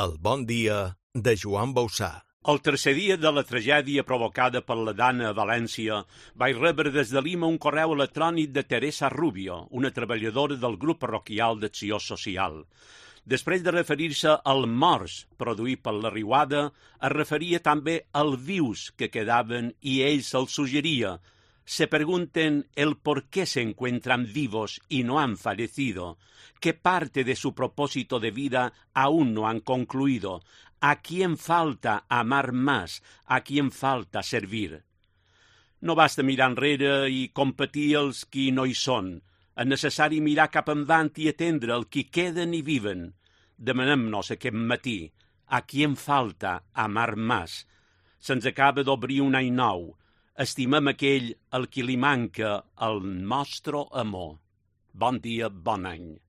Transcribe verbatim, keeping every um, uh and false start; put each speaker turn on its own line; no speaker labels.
El bon dia de Joan Bausà.
El tercer dia de la tragèdia provocada per la Dana a València, vaig rebre des de Lima un correu electrònic de Teresa Rubio, una treballadora del grup parroquial d'Acció Social. Després de referir-se al morts produït per la riuada, es referia també als vius que quedaven y ells els suggería. Se pregunten el por qué se encuentran vivos y no han fallecido, qué parte de su propósito de vida aún no han concluido, a quién falta amar más, a quién falta servir. No basta mirar enrere i competir els qui no hi són. És necessari mirar cap endavant i atendre el qui queden i viven. Demanem-nos aquest matí, a quién falta amar más. Se'ns acaba d'obrir un any nou. Estimem aquell al qui li manca el nostre amor. Bon dia, bon any.